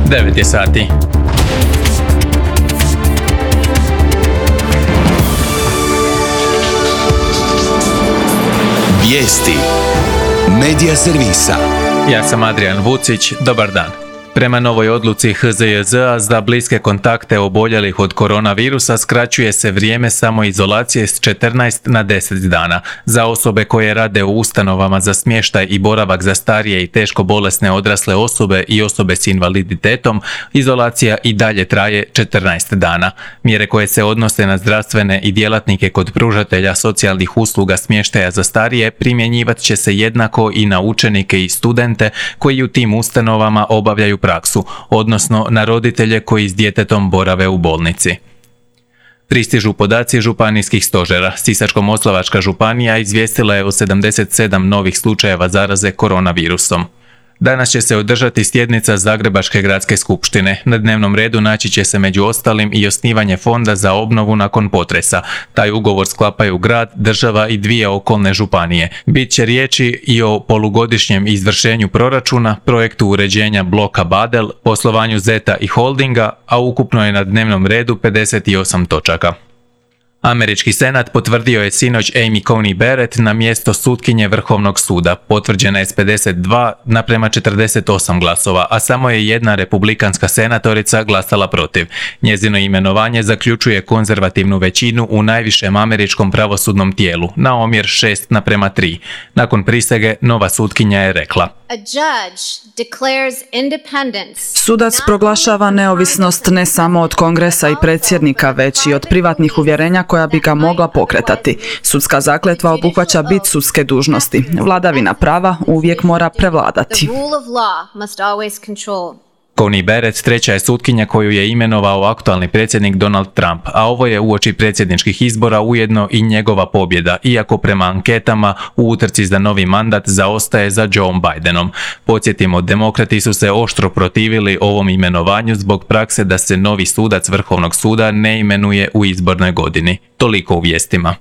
9 je sati. Vijesti Medija servisa. Ja sam Adrian Vucić, dobar dan. Prema novoj odluci HZJZ-a za bliske kontakte oboljelih od koronavirusa skraćuje se vrijeme samoizolacije s 14 na 10 dana. Za osobe koje rade u ustanovama za smještaj i boravak za starije i teško bolesne odrasle osobe i osobe s invaliditetom, izolacija i dalje traje 14 dana. Mjere koje se odnose na zdravstvene i djelatnike kod pružatelja socijalnih usluga smještaja za starije primjenjivat će se jednako i na učenike i studente koji u tim ustanovama obavljaju praksu, odnosno na roditelje koji s djetetom borave u bolnici. Pristižu podaci županijskih stožera. Sisačko-moslavačka županija izvijestila je o 77 novih slučajeva zaraze koronavirusom. Danas će se održati sjednica Zagrebačke gradske skupštine. Na dnevnom redu naći će se među ostalim i osnivanje fonda za obnovu nakon potresa. Taj ugovor sklapaju grad, država i 2 okolne županije. Bit će riječi i o polugodišnjem izvršenju proračuna, projektu uređenja bloka Badel, poslovanju Zeta i Holdinga, a ukupno je na dnevnom redu 58 točaka. Američki senat potvrdio je sinoć Amy Coney Barrett na mjesto sutkinje Vrhovnog suda. Potvrđena je s 52 naprema 48 glasova, a samo je jedna republikanska senatorica glasala protiv. Njezino imenovanje zaključuje konzervativnu većinu u najvišem američkom pravosudnom tijelu, na omjer 6 naprema 3. Nakon prisege, nova sutkinja je rekla: Sudac proglašava neovisnost ne samo od kongresa i predsjednika, već i od privatnih uvjerenja koja bi ga mogla pokretati. Sudska zakletva obuhvaća bit sudske dužnosti. Vladavina prava uvijek mora prevladati. Coney Barrett treća je sutkinja koju je imenovao aktualni predsjednik Donald Trump, a ovo je uoči predsjedničkih izbora ujedno i njegova pobjeda, iako prema anketama u utrci za novi mandat zaostaje za Joe Bidenom. Podsjetimo, demokrati su se oštro protivili ovom imenovanju zbog prakse da se novi sudac Vrhovnog suda ne imenuje u izbornoj godini. Toliko u vijestima.